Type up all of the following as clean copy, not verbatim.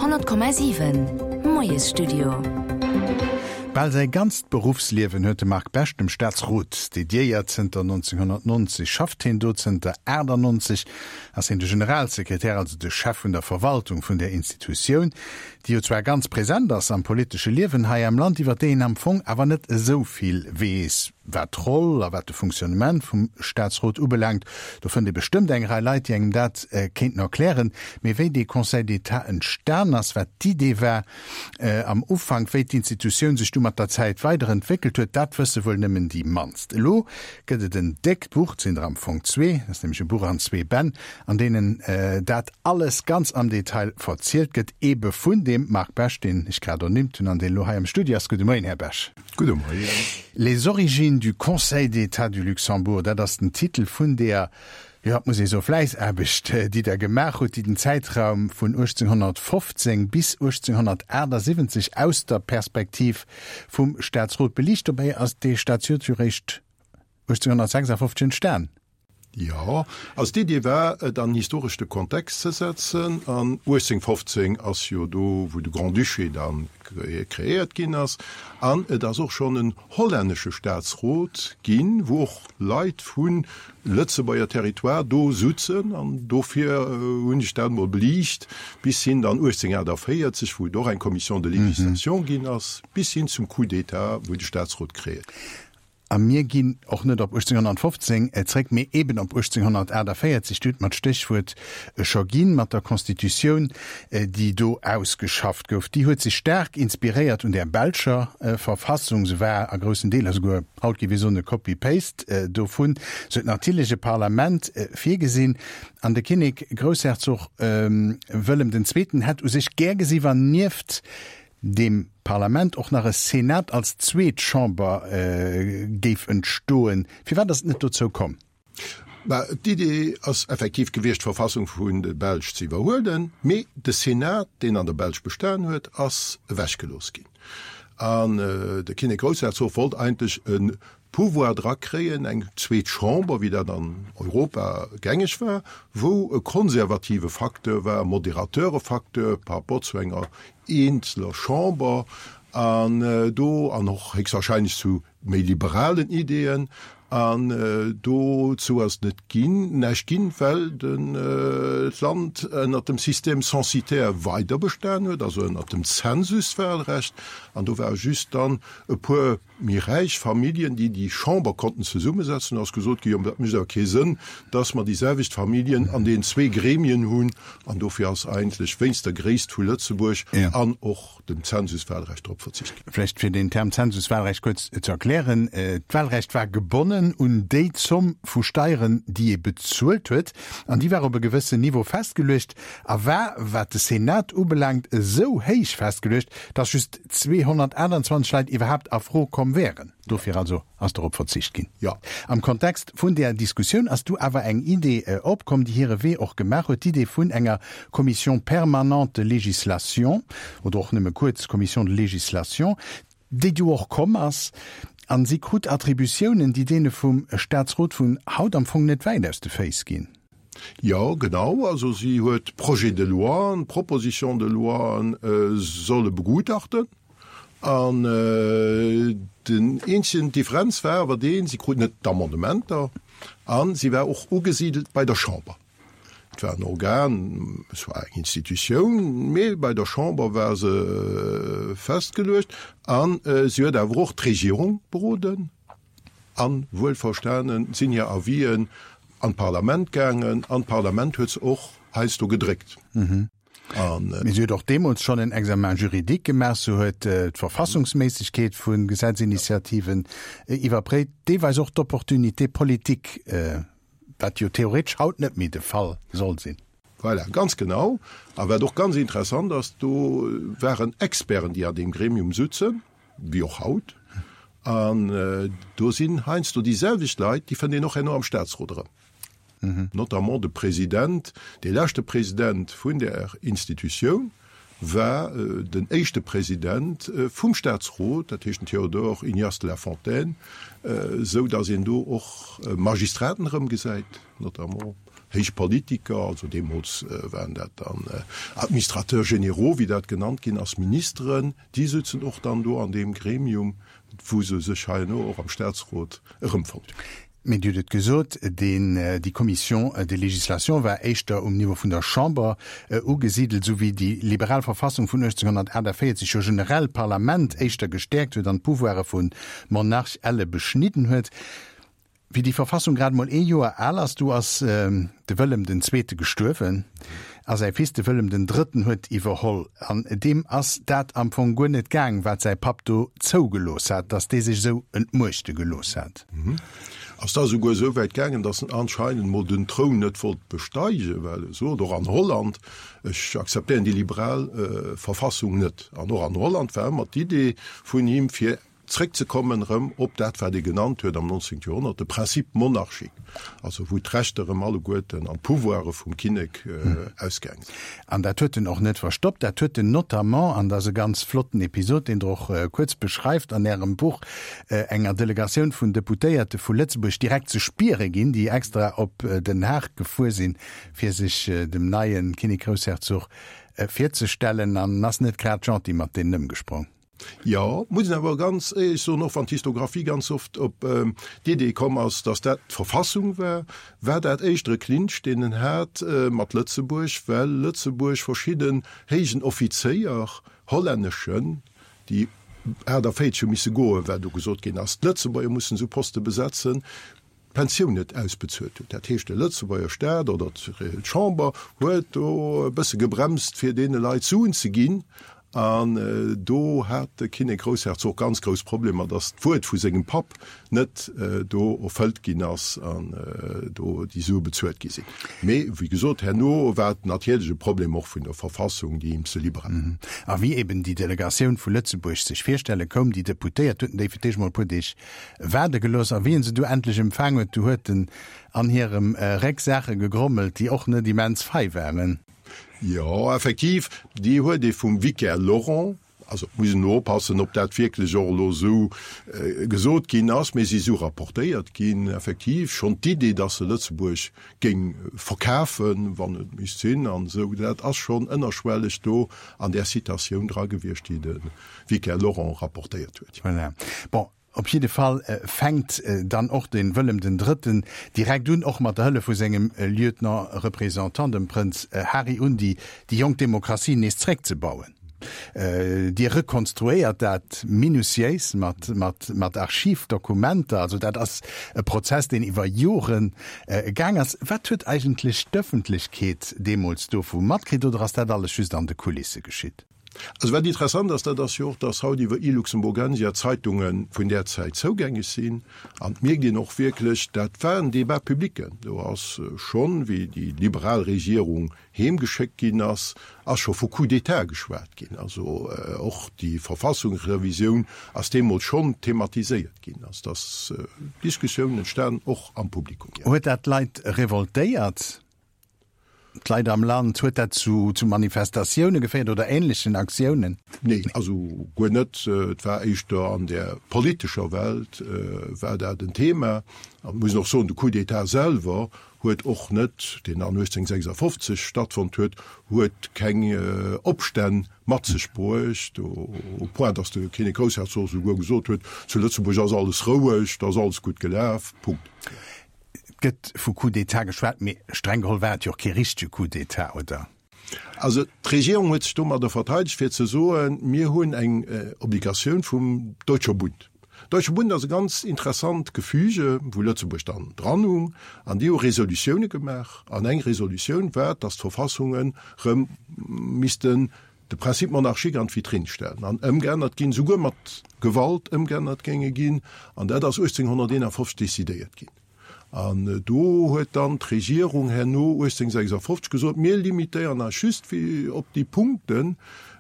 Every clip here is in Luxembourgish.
100,7 Moiesstudio. Bal säi ganzt Beruffsliewen huet de Marc Besch dem Staatsrot dediéiert. Zënter 1990 schafft hien do, zënter 98 ass hien de Generalsekretär, also de Chef vun der Verwaltung vun där Institutioun, déi jo zwar ganz present ass am politesche Liewen hei am Land, iwwer déi een am Fong awer net esou vill weess. Wat d'Roll a wat de Fonctionnement vum Staatsrot ubelaangt, do fënnt ee bestëmmt eng Rei Leit, déi engem dat kéinten erklären. Mee wéi dee Conseil d'État entstan ass, wat d'Idee war am Ufank, wéi d'Institutioun sech du mat der Zäit weiderentwéckelt huet, dat wësse wuel nëmmen déi mannst. Elo gëtt et en déckt Buch, et sinn der am Fong zwee, dat ass nämlech e Buch an zwee Bänn, an deenen dat alles ganz am Detail verzielt gëtt, eebe vun deem Marc Besch, deen ech grad ernimmt hunn an deen elo hei am Studio ass. Gudde Moien, Här Besch. Gudde Moien. Les origines du Conseil d'État du Luxembourg, dat ass den Titel vun deer, jo, et muss ee soen, Fläissaarbecht, déi Der gemaach hutt, déi den Zäitraum vun 1815 bis 1878 aus der Perspektiv vum Staatsrot beliicht. Dobäi ass dee Staatsrot jo réischt 1856 entstan. Jo, also d'Idee war, et an historeschte Kontext ze setzen. An 1815 ass jo do, wou de Grand-Duché da kreéiert ginn ass. An et ass och schonn en hollännesche Staatsrot ginn, wou och Leit vu Lëtzebuerger Territoire do sutzen. An dofir hunn ech dat emol beliicht, bis hin dann 1848, wou et och eng Commission de législation ginn ass, bis hin zum Coup d'État, wou de Staatsrot kreéiert. A mir ginn och net op 1815 zréck, mee eben op 1848, du hutt mer d'Stéchwuert scho ginn, mat der Constitutioun, déi do ausgeschafft gouf. Déi huet sech staark inspiréiert un där belscher Verfassung. Se war a groussen Deeler souguer, haut géif ee soen, e Copy-paste dovun. Se huet natierlech e Parlament virgesinn. An de Kinnek Groussherzog Wëllem den Zweeten hätt u sech gär gesi wann nieft deem Parlament och nach e Senat als zweet Chamber géif entstoen. Firwat ass et net dozou komm? Bah, d'Idee ass effektiv gewiescht, d'Verfassung vun der Belsch ze iwwerhuelen, mee de Senat, deen an der Belsch bestan huet, ass ewechgelooss ginn. An de Kinnek-Groussherzog wollt eigentlech e Pouvoir drakréien, eng zweet Chamber, wéi dat an Europa gängeg war, wou e konservative Facteur war, e modérateure Facteur par rapport zu enger eenzeler Chamber an do, an och héchstwahrscheinlech zu méi liberalen Ideeën. An dozou ass et net ginn, näischt ginn, well d'Land ënnert dem Système censitaire weider bestan huet, also ënnert dem Zensuswahlrecht. An do ware just dann e puer Méi räich Familljen, déi déi Chamber konnten zesummesetzen, ass gesot ginn, jo, dat mécht awer kee Sënn, dass mer déi selwecht Familljen an deenen zwee Gremien hunn. An dofir ass eigentlech wéinst der Gréisst vu Lëtzebuerg an och dem Zensuswahlrecht drop verzicht ginn. Vläicht fir den Term Zensuswahlrecht kuerz ze erklären, D'Wahlrecht war gebonnen un déi Zomm vu Steieren, déi ee bezuelt huet, an déi war op e gewëssen Niveau festgeluecht a war, wat de Senat ubelaangt, esou héich festgeluecht, dass just 228 Leit iwwerhaapt a Fro komm wären. Dofir also ass dorop verzicht ginn. Jo. Am Kontext vun där Diskussioun ass du awer eng Idee opkomm, déi hire Wee och gemaach huet, d'Idee vun enger Commission permanente de législation, oder och nëmme kuerz Commission de législation, déi du och komm ass, a si krut Attributiounen, déi deene vum Statsrot vun haut am Fong net wäit aus de Féiss ginn. Jo, genau. Also si huet Projets de loien, Propositions de loien solle begutachten. An den eenzegen Differenz war awer deen, si krut net d'Amendementer a si war och ugesidelt bei der Chamber. Et war en Organ, es war eng Institutioun, mee bei der Chamber war se festgeluecht. A si huet awer och d'Regierung beroden. A wuelverstane sinn hir Avisen an d'Parlament gaangen an d'Parlament huet se och heiansdo gedréckt. Mee si huet och deemools schonn en Examen juridique gemaach, se huet d'Verfassungsméissegkeet vu Gesetzinitiativen iwwerpréit, deelweis och d'Opportunité politique, wat jo theoretesch haut net méi de Fall soll sinn. Voilà, ganz genau. A wat och ganz interessant ass, do waren Experten, déi an deem Gremium sutzen, wéi och haut, an do sinn heiansdo déi selwecht Leit, déi fënnt een och herno am Statsrot erëm, notamment de President, dee leschte President vun där Institutioun war den éischte President vum Statsrot, dat heescht den Théodore Ignace de la Fontaine, esou datt een do och Magistraten erëmgesäit, notamment. Héich Politiker, also deemools waren dat dann Administrateurs généraux, wéi dat genannt ginn ass, Ministeren, déi sutzen och dann do an deem Gremium, wou se sech herno och am Statsrot erëmfonnt hunn. Mee Dir hutt et gesot, deen, déi Commission de législation war éischter um Niveau vun der Chamber ugesidelt, esou wéi déi liberal Verfassung vun 1848 jo generell d'Parlament éischter gestäerkt huet an d'Pouvoire vum Monarch elle beschnidden huet. Wéi déi Verfassung grad emol ee Joer al ass, du ass de Wëllem den Zweete gestuerwen a säi Fils, de Wëllem den Drëtten, huet iwwerholl. An deem ass dat am Fong guer net gaang, wat säi Papp do zougelooss hat, datt dee sech esou entmuechte gelooss hat. Ass da esouguer esou wäit gaangen, datt en anscheinend mol den Troun net wollt besteigen, well e sot, och an Holland, ech akzeptéieren déi liberal Verfassung net. An och an Holland war ëmmer d'Idee vun him, fir Zréckzekommen erëm op dat, wat ee genannt huet am 19. Joerhonnert de Principe monarchique, also wou d'Rechter erëm alleguerten an d'Pouvoire vum Kinnek ausgaange sinn. An dat huet en och net verstoppt. Dat huet en notamment, an dat ass e ganz flotten Episod, deen Der och kuerz beschreift an Ärem Buch, enger Delegatioun vun Deputéierte vu Lëtzebuerg direkt ze spiere ginn, déi extra op Den Haag gefuer sinn, fir sech dem neie Kinnek-Groussherzog virzestellen, an ass net grad gentil mat deenen ëmgesprong. Jo, muss een awer ganz éierlech soen, och wann d'Histographie ganz oft op d'Idee komm ass, datt dat d'Verfassung war, war dat éischter e Clinch, deen en hat mat Lëtzebuerg, well Lëtzebuerg verschidden héijen Offizéier, hollänneschen, déi 48 hu misse goen, well do gesot ginn ass, d'Lëtzebuerger mussen esou Poste besetzen, d'Pensioun net ausbezuelt huet. Dat heescht, de Lëtzebuerger Staat oder d'Chamber huet do e bësse gebremst, fir deene Leit Suen ze ginn. An do hat de Kinnek-Groussherzog ganz grouss Problemer, datt d'Wuert vu sengem Papp net do erfëllt ginn ass an do déi Sue bezuelt gi sinn. Mee wéi gesot, herno war et natierlech e Problem och vun der Verfassung, déi him ze liberal war. A wéi eben déi Delegatioun vu Lëtzebuerg sech virstelle koum, déi Deputéiert, huet en déi fir d'éischt mol e puer Deeg Waarde gelooss, a wéi en se du endlech empfaang huet, du huet en an hirem Réck Saache gegrommelt, déi och net immens fei waren. Jo, effektiv, déi huet ee vum Vicaire Laurent, also et muss een elo oppassen, ob dat wierklech och elo esou gesot ginn ass, mee si esou rapportéiert ginn, effektiv schonn d'Idee, datt se Lëtzebuerg géing verkafen, wann et misst sinn an esou, dat ass schonn ënnerschwelleg do an där Citatioun dra gewiescht, déi de Vicaire Laurent rapportéiert huet. Voilà. Bon, op jidde Fall fänkt dann och de Wëllem den Drëtten direkt un, och mat der Hëllef vu sengem Lieutenant-représentant, dem Prënz Hari, un, déi jonk Demokratie nees zréckzebauen. Dir rekonstruéiert dat minutiéis mat Archivdokumenter. Also dat ass e Prozess, deen iwwer Jore gaang ass. Wat huet eigentlech d'Ëffentlechkeet deemools dovu matkritt, oder ass dat alles just an de Kulisse geschitt? Also wat interessant ass, dat ass jo och, dass haut iwwer e-Luxemburgensia Zeitunge vun där Zäit zougängeg sinn. An et mierkt een och wierklech, dat war en Débat public. Do ass schonn, wéi déi liberal Regierung heemgeschéckt ginn ass, ass scho vu Coup d'État geschwat ginn. Also och déi Verfassungsrevisioun ass deemools schonn thematiséiert ginn. Also dass Diskussioun entstan och am Publikum. Huet dat d'Leit revoltéiert? D'Leit am Land, huet dat zu Manifestatioune geféiert oder ähnlechen Aktiounen? Nee, also guer net. Et war éischter an der politescher Welt war dat en Thema. An et muss een och soen, de Coup d'État selwer huet och net, deen an 1856 stattfonnt huet, huet keng Opstänn mat sech bruecht, au point datt de Kinnek-Groussherzog esouguer gesot huet, zu Lëtzebuerg ass alles roueg, da ass alles gutt gelaf, Punkt. Et gëtt vu Coup d'État geschwat, mee streng geholl war et jo och kee richtege Coup d'État, oder? Also d'Regierung huet sech domadder verteidegt, fir ze soen, mir hunn eng Obligatioun vum Deutscher Bund. Deutsche Bund ass e ganz interessant Gefüge, wou Lëtzebuerg dann dran hung, an déi hu Resolutioune gemaach. An eng Resolutioun war, datt d'Verfassungen erëm missten de Principe monarchique an d'Vitrinn stellen an ëmgeännert ginn, souguer mat Gewalt ëmgeännert géinge ginn, an dat ass 1851 decidéiert ginn. An do huet dann d'Regierung herno 1856 gesot, mir limitéieren eis just op déi Punkte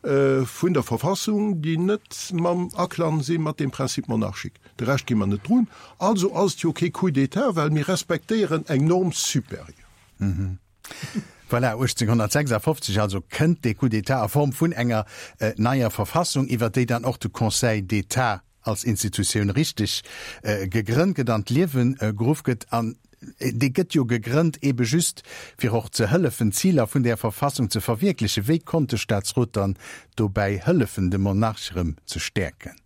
vun der Verfassung, déi net mam Aklang si mat deem Principe monarchique. De Rescht gi mer net drun. Also ass et jo kee Coup d'État, well mir respektéieren eng Norme supérieure. Voilà, 1856 also kënnt dee Coup d'État a Form vun enger neier Verfassung, iwwer déi dann och de Conseil d'État als Institutioun richteg gegrënnt gëtt, an d'Liewe geruff gëtt. An. Dee gëtt jo gegrënnt ebe just fir och ze hëllefen, d'Ziler vun där Verfassung ze verwierklechen. Wéi konnt de Staatsrot dann dobäi hëllefen, de Monarch erëm ze stäerken?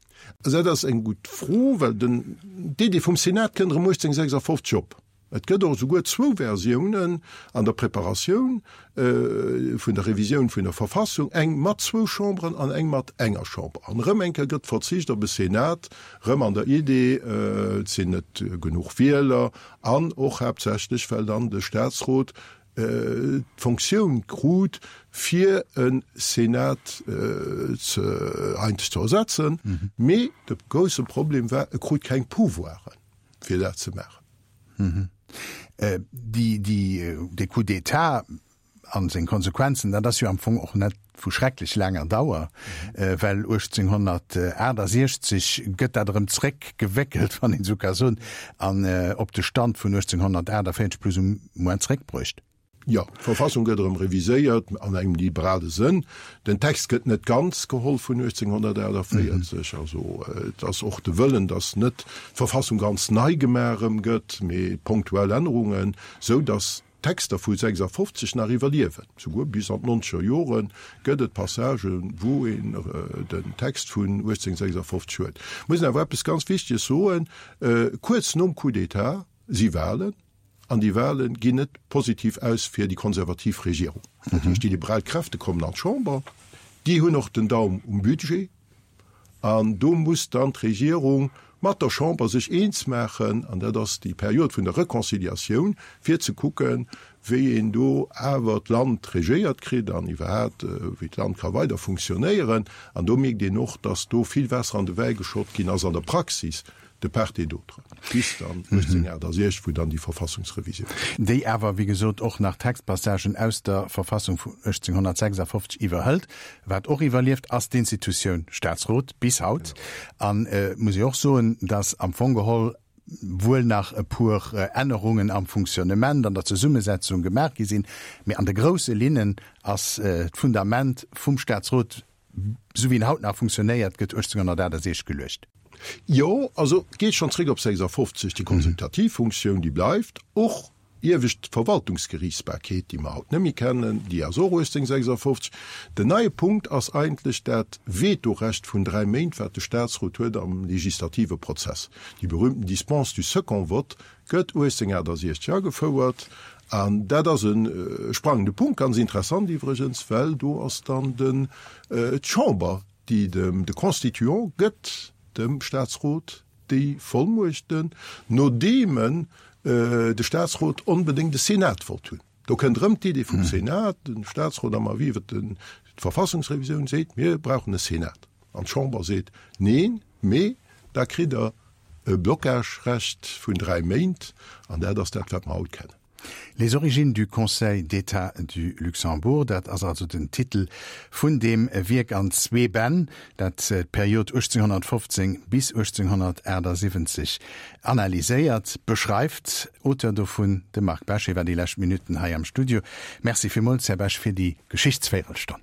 Dat ass eng gutt Fro, well den, d'Idee vum Senat kënnt erëm 1856 op. Et gëtt och esouguer zwou Versiounen an der Preparatioun vun der Revisioun vun der Verfassung, eng mat zwou Chamberen an eng mat enger Chamber. An erëm eng Kéier gëtt verzicht op e Senat, erëm an der Idee, et sinn net genuch Wieler an och haaptsächlech, well dann de Statsrot d'Fonctioun krut, fir e Senat ze eigentlech ze ersetzen. Mee de grousse Problem war, e krut keng Pouvoiren, fir dat ze maachen. Dee Coup d'État a seng Konsequenzen, dat ass jo am Fong och net vu schrecklech laanger Dauer, well 1868 gëtt dat erëm zréckgewéckelt, wann een esou ka soen, an op de Stand vun 1848 plus ou moins zréckbruecht. Jo, d'Verfassung gëtt erëm reviséiert an engem liberale Sënn. Den Text gëtt net ganz geholl vun 1848. Also et ass och de Wëllen, datt net d'Verfassung ganz nei gemaach erëm gëtt, mee ponktuell Ännerungen, sou datt d'Texter vu 56 nach iwwerliewen. Souguer bis an d'nonzeger Jore gëtt et Passagen, wou een den Text vun 1856 huet. Muss een awer eppes ganz Wichteges soen, Kuerz nom Coup d'État si Wahlen. An déi Wahle ginn net positiv aus fir déi konservativ Regierung. Dat heescht, déi liberal Kräfte kommen an d'Chamber, déi hunn och den Daum um Budget an do muss dann d'Regierung mat der Chamber sech eens maachen, an dat ass déi Period vun der Reconciliatioun, fir ze kucken, wéi een do awer d'Land regéiert kritt an iwwerhaapt wéi d'Land ka weider funktionéieren. An do mierkt een och, datt do vill Waasser an de Wäi geschott ginn ass an der Praxis, de part et d'autre, bis dann 1868, wou dann déi Verfassungsrevisioun. Déi awer, wéi gesot, och nach Textpassagen aus der Verfassung vun 1856 iwwerhëlt. Wat och iwwerlieft, ass d'Institutioun Staatsrot bis haut. An et muss ee och soen, dass am Fong geholl wuel nach e puer Ännerungen am Fonctionnement, an der Zesummesetzung gemaach gi sinn, mee an de grousse Linnen ass d'Fundament vum Staatsrot, Esou wéi en haut nach funktionéiert, gëtt 1868 geluecht. Jo, also et geet schonn zréck op 56, déi konsultativ Funktioun, déi bleift. Och iewescht Verwaltungsgeriichtsbarkeet, déi mer haut net méi kennen, déi ass och 1856. Den neie Punkt ass eigentlech dat Vetorecht vun dräi Méint, wat de Statsrot huet am legislative Prozess. Déi berühmten Dispense du second vote gëtt 1868 agefouert an dat ass e sprangende Punkt, ganz interessant iwwregens, well do ass dann den d'Chamber, déi dem de Constituant gëtt dem Statsrot déi Vollmuechten, nodeem en de Statsrot onbedéngt e Senat wollt hunn. Do kënnt erëm d'Idee vum Senat, de Statsrot am Avis iwwert d'Verfassungsrevisioun seet, mir brauchen e Senat. An d'Chamber seet, neen, mee da kritt Der e Blockagerecht vun dräi Méint, an dat ass dat, wat mer haut kennen. Les origines du Conseil d'État du Luxembourg, dat ass also den Titel vun deem Wierk an zwee Bänn, dat d'Period 1815 bis 1878 analyséiert, beschreift. Auteur dovun, de Marc Besch. Hie war déi lescht Minutten hei am Studio. Merci villmools, Här Besch, fir déi Geschichtsvéirelstonn.